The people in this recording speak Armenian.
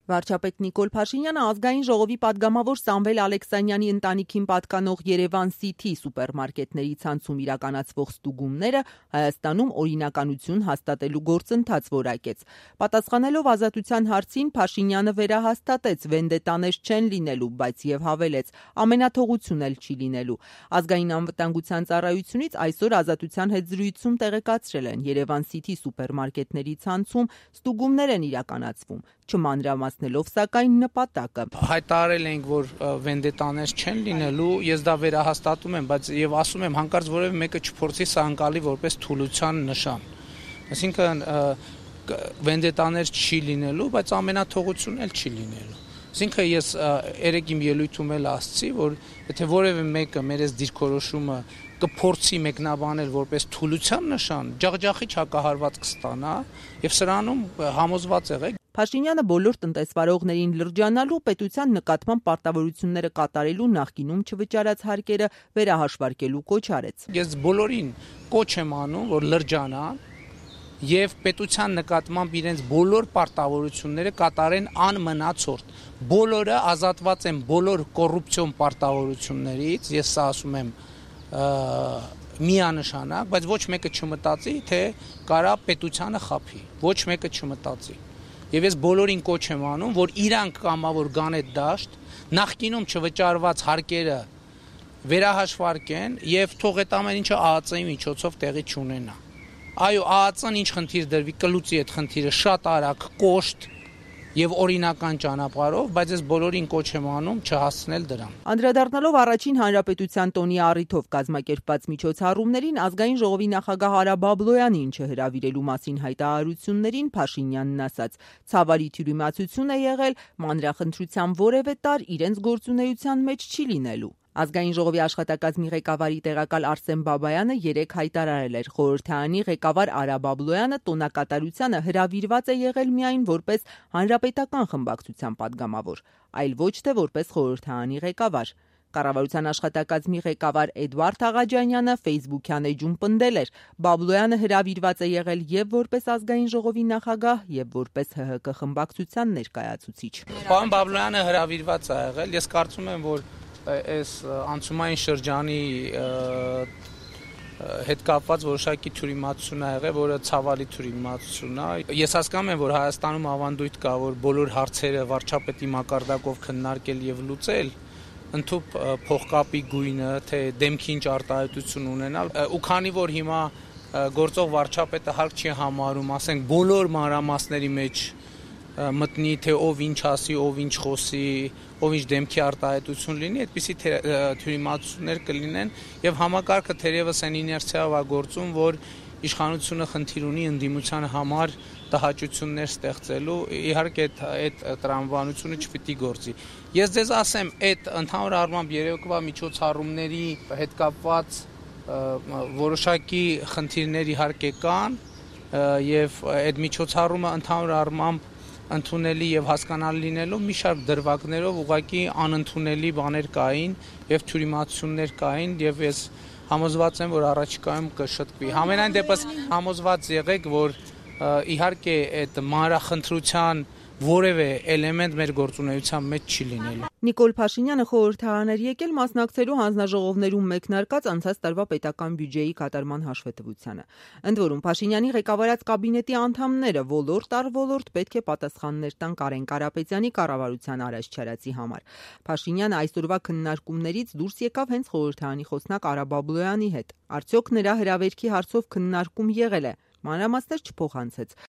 Վարչապետ Նիկոլ Փաշինյանը ազգային ժողովի պատգամավոր Սամվել Ալեքսանյանի ընտանիքին պատկանող Երևան City սուպերմարկետների ցանցում իրականացվող ստուգումները Հայաստանում օրինականություն հաստատելու գործընթաց որակեց։ Պատասխանելով Ազատության հարցին Փաշինյանը վերահաստատեց վենդետաներ չեն լինելու, բայց եւ հավելեց ամենաթողություն էլ չի լինելու։ Ազգային անվտանգության ծառայությունից այսօր Ազատության հետ զրույցում տեղեկացրել են Երևան City սուպերմարկետների ցանցում ստուգումներ են իրականացվում, չմանրամասնելով սակայն նպատակը։ Հայտարարել ենք, որ վենդետաներ չեն լինելու, ես դա վերահաստատում եմ, բայց եւ ասում եմ հանկարծ որևէ մեկը չփորձի սա անցալի որպես թուլության նշան։ Այսինքն վենդետաներ չի լինելու, բայց ամենաթողություն էլ չի լինելու։ Այսինքն ես երեք իմ ելույթում էլ ասացի, որ եթե որևէ մեկը մեր այս դիրքորոշումը կփորձի մեկնաբանել որպես թուլության նշան, ջախջախիչ հակահարված կստանա եւ սրանում համոզված եղեք։ Փաշինյանը բոլոր տնտեսվարողներին լրջանալու պետության նկատմամբ պարտավորությունները կատարելու նախկինում չվճարած հարկերը վերահաշվարկելու կոչ արեց։ Ես բոլորին կոչ եմ անում, որ լրջանան եւ պետության նկատմամբ իրենց բոլոր պարտավորությունները կատարեն անմնացորդ։ Բոլորը ազատված են բոլոր կոռուպցիոն պարտավորություններից, ես սա ասում եմ միանշանակ, բայց ոչ մեկը չմտածի, թե կարա պետությանը խաբի։ Ոչ մեկը չմտածի։ Եվ ես բոլորին կոչ եմ անում, որ իրանք կամավոր գան այդ դաշտ, նախկինում չվճարված հարկերը վերահաշվարկեն եւ թող այդ ամեն ինչը ԱԱԾ-ի միջոցով տեղի չունենա։ Այո, ԱԱԾ-ն ինչ խնդիր դրվի, կլուծի այդ խնդիրը շատ արագ, կոշտ եւ օրինական ճանապարհով, բայց ես բոլորին կոչ եմ անում չհասցնել դրան։ Անդրադառնալով առաջին հանրապետության տոնի առիթով կազմակերպված միջոցառումներին ազգային ժողովի նախագահ Արա Բաբլոյանին չհրավիրելու մասին հայտարարություններին Փաշինյանն ասաց. «Ցավալի թյուրիմացություն է եղել, մանրախնդրության որևէ տարր իրենց գործունեության մեջ չի լինելու»։ Ազգային ժողովի աշխատակազմի ղեկավարի տեղակալ Արսեն Բաբայանը երեկ հայտարարել էր. խորհրդարանի ղեկավար Արա Բաբլոյանը տոնակատարությանը հրավիրված է եղել միայն որպես հանրապետական խմբակցության պատգամավոր, այլ ոչ թե որպես խորհրդարանի ղեկավար։ Կառավարության աշխատակազմի ղեկավար Էդվարդ Աղաջանյանը Facebook-յան էջում պնդել էր. Բաբլոյանը հրավիրված է եղել եւ որպես ազգային ժողովի նախագահ եւ որպես ՀՀԿ խմբակցության ներկայացուցիչ։ Պարոն Բաբլոյանը հրավիրված է եղել, ես կարծում եմ, որ այս անցումային շրջանի հետ կապված որոշակի թյուրիմացություն ա եղել, որը ցավալի թյուրիմացություն է։ Ես հասկանում եմ, որ Հայաստանում ավանդույթ կա, որ բոլոր հարցերը վարչապետի մակարդակով քննարկել եւ լուծել, ընդհանուր փողկապի գույնը, թե դեմքի ինչ արտահայտություն ունենալ, ու քանի որ հիմա գործող վարչապետը հարկ չի համարում, ասենք բոլոր մանրամասների մեջ մտնի, թե ով ինչ ասի, ով ինչ խոսի, ով ինչ դեմքի արտահայտություն լինի, այդպիսի թյուրիմացություններ կլինեն եւ համակարգը թերևս այն իներցիայով է գործում, որ իշխանությունը խնդիր ունի ընդդիմության համար տհաճություններ ստեղծելու, իհարկե այդ տրամաբանությունը չպիտի գործի։ Ես ձեզ ասեմ, այդ ընդհանուր առմամբ երեկվա միջոցառումների հետ կապված որոշակի խնդիրներ իհարկե կան եւ այդ միջոցառումը ընդհանուր առմամբ ընդունելի եւ հասկանալի լինելու մի շարք դրվագներով ուղղակի անընդունելի բաներ կային եւ թյուրիմացություններ կային եւ ես համոզված եմ, որ առաջիկայում կշտկվի։ Համենայն դեպս համոզված եղեք, որ իհարկե այդ մանրախնդրության որևէ էլեմենտ մեր գործունեության մեջ չի լինելու։ Նիկոլ Փաշինյանը խորհրդարան էր եկել մասնակցելու հանձնաժողովներում մեկնարկած անցած տարվա պետական բյուջեի կատարման հաշվետվությանը։ Ընդ որում Փաշինյանի ղեկավարած կաբինետի անդամները ոլորտ առ ոլորտ պետք է պատասխաններ տան Կարեն Կարապետյանի կառավարության առաջ-չարացի համար։ Փաշինյանը այսօրվա քննարկումներից դուրս եկավ հենց խորհրդարանի խոսնակ Արա Բաբլոյանի հետ։ Արդյոք նրա հրավերքի հարցով քննարկում եղել է։ Մանրամասներ չփոխանցեց։